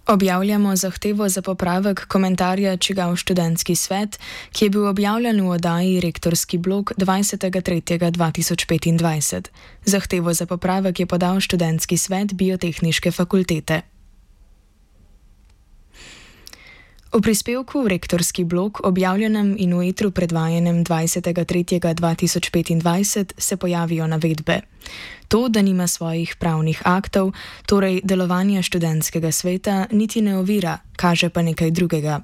Objavljamo zahtevo za popravek komentarja Čigav študentski svet, ki je bil objavljen v oddaji Rektorski blog 20.3.2025. Zahtevo za popravek je podal študentski svet Biotehniške fakultete. V prispevku v Rektorski blog, objavljenem in v etru predvajanem 20.3.2025, se pojavijo navedbe. To, da nima svojih pravnih aktov, torej delovanja študentskega sveta, niti ne ovira, kaže pa nekaj drugega.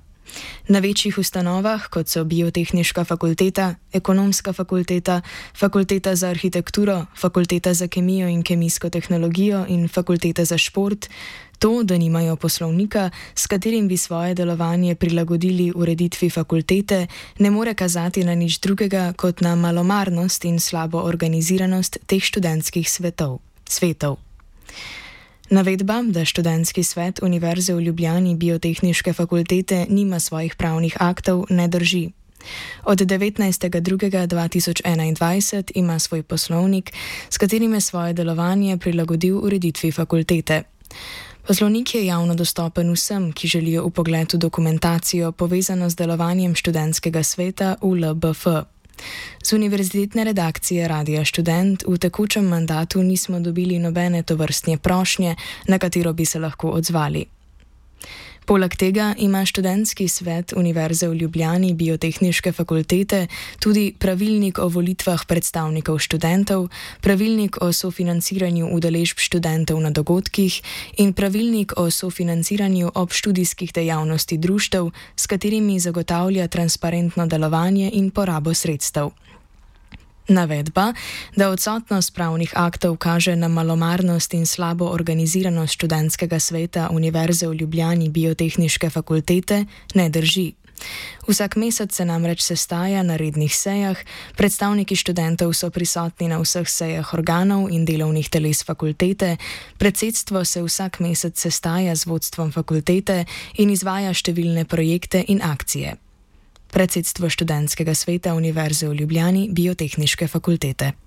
Na večjih ustanovah, kot so Biotehniška fakulteta, Ekonomska fakulteta, Fakulteta za arhitekturo, Fakulteta za kemijo in kemijsko tehnologijo in Fakulteta za šport, to, da nimajo poslovnika, s katerim bi svoje delovanje prilagodili ureditvi fakultete, ne more kazati na nič drugega kot na malomarnost in slabo organiziranost teh študentskih svetov. Navedba, da študentski svet Univerze v Ljubljani Biotehniške fakultete nima svojih pravnih aktov, ne drži. Od 19.2.2021 ima svoj poslovnik, s katerim je svoje delovanje prilagodil ureditvi fakultete. Poslovnik je javno dostopen vsem, ki želijo vpogled v dokumentacijo povezano z delovanjem študentskega sveta ULBF. Z univerzitetne redakcije Radia Študent v tekočem mandatu nismo dobili nobene tovrstne prošnje, na katero bi se lahko odzvali. Poleg tega ima študentski svet Univerze v Ljubljani Biotehniške fakultete tudi pravilnik o volitvah predstavnikov študentov, pravilnik o sofinanciranju udeležb študentov na dogodkih in pravilnik o sofinanciranju obštudijskih dejavnosti društev, s katerimi zagotavlja transparentno delovanje in porabo sredstev. Navedba, da odsotnost pravnih aktov kaže na malomarnost in slabo organiziranost študentskega sveta Univerze v Ljubljani Biotehniške fakultete, ne drži. Vsak mesec se namreč sestaja na rednih sejah, predstavniki študentov so prisotni na vseh sejah organov in delovnih teles fakultete, predsedstvo se vsak mesec sestaja z vodstvom fakultete in izvaja številne projekte in akcije. Predsedstvo študentskega sveta Univerze v Ljubljani Biotehniške fakultete.